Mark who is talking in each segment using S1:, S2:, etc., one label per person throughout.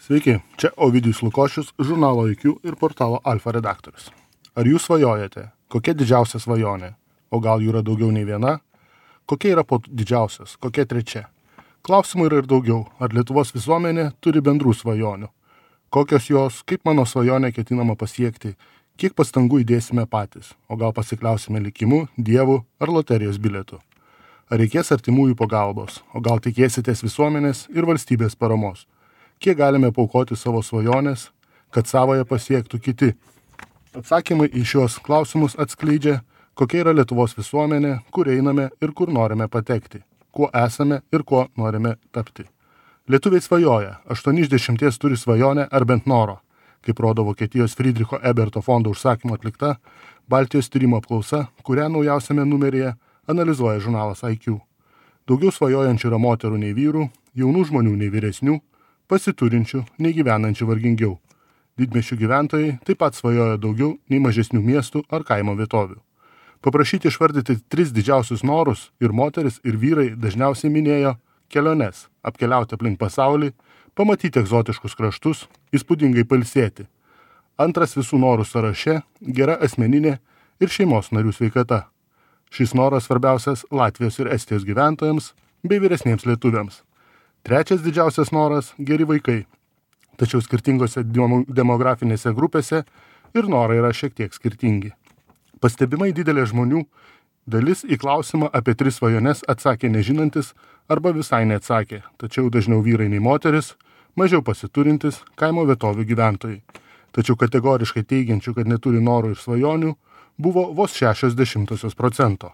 S1: Sveiki, čia Ovidijus Lukošius, žurnalo IQ ir portalo Alfa redaktorius. Ar jūs svajojate? Kokia didžiausia svajonė? O gal jų yra daugiau nei viena? Kokia yra didžiausias? Kokia trečia? Klausimų yra ir daugiau. Ar Lietuvos visuomenė turi bendrų svajonių? Kokios jos, kaip mano svajonę ketinama pasiekti? Kiek pastangų įdėsime patys? O gal pasikliausime likimu, dievu ar loterijos bilietu? Ar reikės artimųjų pagalbos? O gal tikėsitės visuomenės ir valstybės paramos? Kiek galime paaukoti savo svajonės, kad savoje pasiektų kiti? Atsakymai į šios klausimus atskleidžia, kokia yra Lietuvos visuomenė, kur einame ir kur norime patekti, kuo esame ir kuo norime tapti. Lietuviai svajoja, 8 iš 10 turi svajonę ar bent noro, kaip rodo Vokietijos Friedricho Eberto fondo užsakymo atlikta Baltijos tyrimo apklausa, kurią naujausiame numeryje analizuoja žurnalas IQ. Daugiau svajojančių yra moterų nei vyrų, jaunų žmonių nei vyresnių, pasiturinčių nei gyvenančių vargingiau. Didmiesčių gyventojai taip pat svajoja daugiau nei mažesnių miestų ar kaimo vietovių. Paprašyti išvardyti 3 didžiausius norus ir moteris ir vyrai dažniausiai minėjo keliones, apkeliauti aplink pasaulį, pamatyti egzotiškus kraštus, įspūdingai pailsėti. Antras visų norų sąraše – gera asmeninė ir šeimos narių sveikata. Šis noras svarbiausias Latvijos ir Estijos gyventojams bei vyresniems lietuviams. Trečias didžiausias noras – geri vaikai. Tačiau skirtingose demografinėse grupėse ir norai yra šiek tiek skirtingi. Pastebimai didelė žmonių dalis į klausimą apie 3 svajones atsakė nežinantis arba visai neatsakė, tačiau dažniau vyrai nei moteris, mažiau pasiturintis kaimo vietovių gyventojai. Tačiau kategoriškai teigiančių, kad neturi norų ir svajonių, buvo vos 0,6%.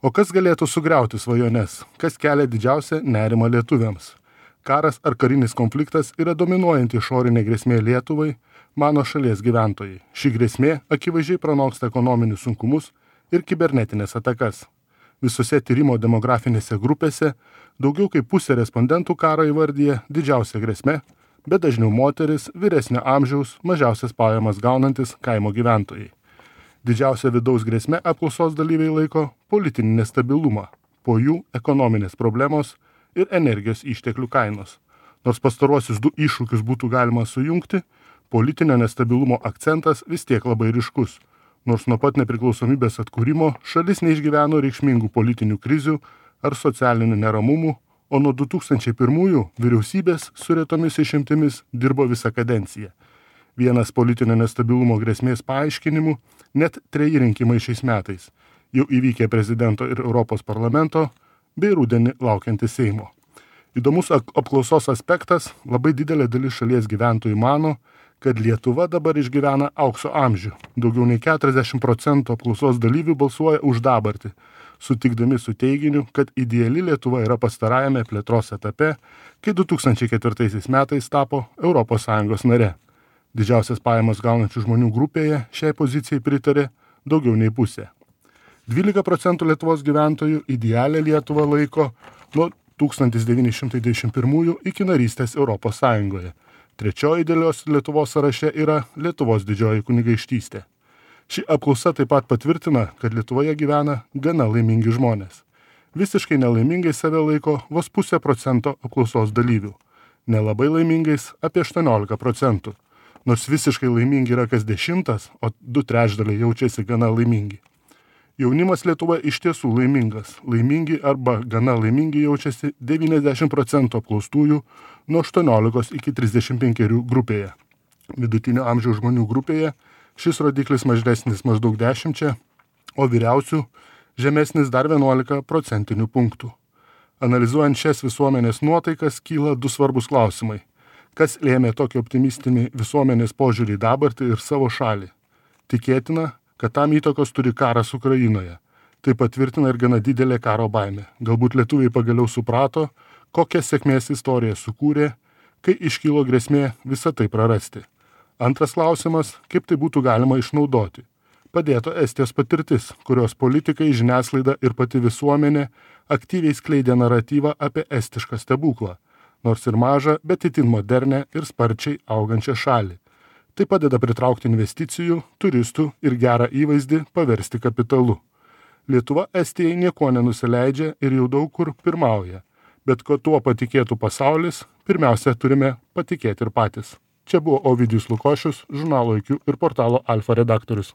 S1: O kas galėtų sugriauti svajones? Kas kelia didžiausią nerimą lietuviams? Karas ar karinis konfliktas yra dominuojanti išorinė grėsmė Lietuvai, mano šalies gyventojai. Ši grėsmė akivaizdžiai pranoksta ekonominius sunkumus ir kibernetinės atakas. Visose tyrimo demografinėse grupėse daugiau kaip pusė respondentų karą įvardyja didžiausia grėsme, bet dažniau moteris, vyresnio amžiaus, mažiausias pajamas gaunantis kaimo gyventojai. Didžiausia vidaus grėsme apklausos dalyviai laiko politinį nestabilumą, po jų ekonominės problemos ir energijos išteklių kainos. Nors pastaruosius 2 iššūkius būtų galima sujungti, politinio nestabilumo akcentas vis tiek labai ryškus. Nors nuo pat nepriklausomybės atkūrimo šalis neišgyveno reikšmingų politinių krizių ar socialinių neramumų, o nuo 2001 vyriausybės su retomis išimtimis dirbo visą kadenciją. Vienas politinio nestabilumo grėsmės paaiškinimų – net 3 rinkimai šiais metais, jau įvykę prezidento ir Europos parlamento bei rudenį laukiantis Seimo. Įdomus apklausos aspektas – labai didelė dalis šalies gyventojų mano, kad Lietuva dabar išgyvena aukso amžių. Daugiau nei 40% apklausos dalyvių balsuoja už dabartį, sutikdami su teiginiu, kad ideali Lietuva yra pastarajame plėtros etape, kai 2004 metais tapo ES nare. Didžiausias pajamas gaunančių žmonių grupėje šiai pozicijai pritarė daugiau nei pusė. 12% Lietuvos gyventojų idealią Lietuvą laiko nuo 1991 iki narystės Europos Sąjungoje. Trečioji idealios Lietuvos sąraše yra Lietuvos didžioji kunigaikštystė. Ši apklausa taip pat patvirtina, kad Lietuvoje gyvena gana laimingi žmonės. Visiškai nelaimingai save laiko vos 0,5% apklausos dalyvių. Nelabai laimingais apie 18%. Nors visiškai laimingi yra kas 10, o 2/3 jaučiasi gana laimingi. Jaunimas Lietuva iš tiesų laimingas. Laimingi arba gana laimingi jaučiasi 90% apklaustųjų nuo 18 iki 35 grupėje. Vidutinio amžiaus žmonių grupėje šis rodiklis mažesnis maždaug 10, o vyriausių žemesnis dar 11 procentinių punktų. Analizuojant šias visuomenės nuotaikas kyla 2 svarbus klausimai. Kas lėmė tokį optimistinį visuomenės požiūrį į dabartį ir savo šalį? Tikėtina, kad tam įtakos turi karas Ukrainoje. Tai patvirtina ir gana didelė karo baimė. Galbūt lietuviai pagaliau suprato, kokią sėkmės istoriją sukūrė, kai iškilo grėsmė visą tai prarasti. Antras klausimas, kaip tai būtų galima išnaudoti. Padėto Estijos patirtis, kurios politikai, žiniasklaida ir pati visuomenė aktyviai skleidė naratyvą apie estišką stebuklą, nors ir mažą, bet itin modernę ir sparčiai augančią šalį. Tai padeda pritraukti investicijų, turistų ir gerą įvaizdį paversti kapitalu. Lietuva Estijai nieko nenusileidžia ir jau daug kur pirmauja, bet ko tuo patikėtų pasaulis, Pirmiausia, turime patikėti ir patys. Čia buvo Ovidijus Lukošius, žurnalo IQ ir portalo Alfa redaktorius.